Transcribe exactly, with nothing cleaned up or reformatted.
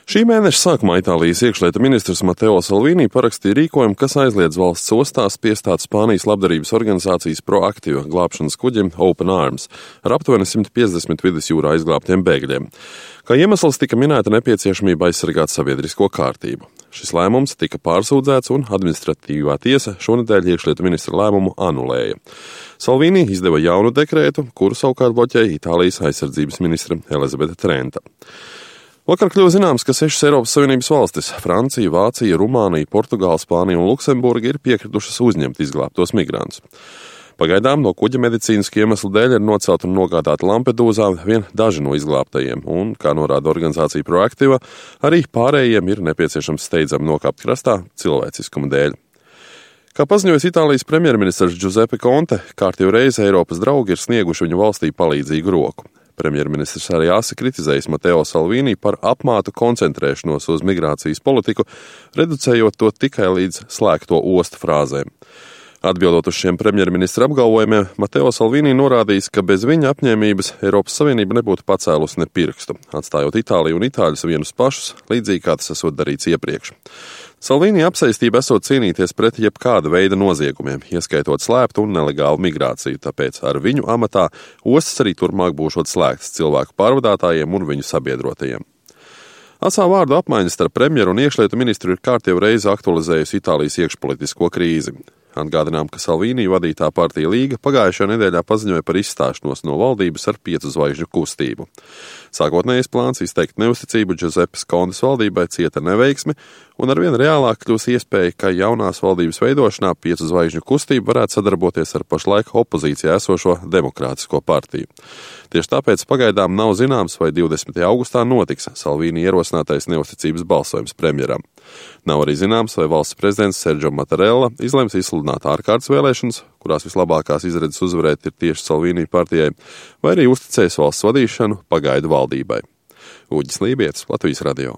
Šī mēneša sākumā Itālijas iekšlietu ministrs Mateo Salvini parakstīja rīkojumu, kas aizliedz valsts ostās piestāt Spānijas labdarības organizācijas Proactiva glābšanas kuģim Open Arms ar aptuveni simt piecdesmit vidusjūrā izglābtiem bēgļiem. Kā iemesls tika minēta nepieciešamība aizsargāt sabiedrisko kārtību. Šis lēmums tika pārsūdzēts un administratīvā tiesa šonedēļ iekšlietu ministra lēmumu anulēja. Salvini izdeva jaunu dekrētu, kuru savukārt bloķēja Itālijas aizsardzības ministre Elizabete Trenta. Vakar kļuva zināms, ka sešas Eiropas Savienības valstis – Francija, Vācija, Rumānija, Portugāla, Spānija un Luksemburga – ir piekritušas uzņemt izglābtos migrantus. Pagaidām no kuģa medicīnisku iemeslu dēļ ir nocelt un nogādāti Lampedūzā vien daži no izglābtajiem, un, kā norāda organizācija Proactiva, arī pārējiem ir nepieciešams steidzami nokāpt krastā cilvēciskuma dēļ. Kā paziņojas Itālijas premjerministrs Giuseppe Conte, kārtīgi reizi Eiropas draugi ir snieguši viņu valstī palīdzīgu roku. Premjerministrs arī asi kritizējis Mateo Salvini par apmātu koncentrēšanos uz migrācijas politiku, reducējot to tikai līdz slēgto ostu frāzēm. Atbildot uz šiem premjerministra apgalvojumiem, Mateo Salvini norādījis, ka bez viņa apņēmības Eiropas Savienība nebūtu pacēlusi ne pirkstu, atstājot Itāliju un itāļus vienus pašus, līdzīgi kā tas esot darīts iepriekš. Salvini apsaistība esot cīnīties pret jebkāda veida noziegumiem, ieskaitot slēptu un nelegālu migrāciju, tāpēc ar viņu amatā ostas arī turpmāk būšot slēgtas cilvēku pārvadātājiem un viņu sabiedrotajiem. Asā vārdu apmaiņas starp premjeru un iekšlietu ministru ir kārtīgi reizi aktualizējusi Itālijas iekšpolitisko krīzi. Atgādinām, ka Salvini vadītā partija Līga pagājušajā nedēļā paziņoja par izstāšanos no valdības ar piecu zvaigžņu kustību. Sākotnējais plāns izteikt neusticību Giuseppes Contes valdībai cieta neveiksmi, un arvien reālāk kļūs iespēja, ka jaunās valdības veidošanā piecu zvaigžņu kustība varētu sadarboties ar pašlaik opozīcijā esošo Demokrātisko partiju. Tieši tāpēc pagaidām nav zināms, vai divdesmitajā augustā notiks Salvini ierosinātais neusticības balsojums premjeram. Nav arī zināms, vai valsts prezidents Sergio Mattarella izlems izsludināt ārkārtas vēlēšanas, kurās vislabākās izredzes uzvarēt ir tieši Salvini partijai, vai arī uzticēs valsts vadīšanu pagaidu valdībai. Uģis Lībietis, Latvijas radio.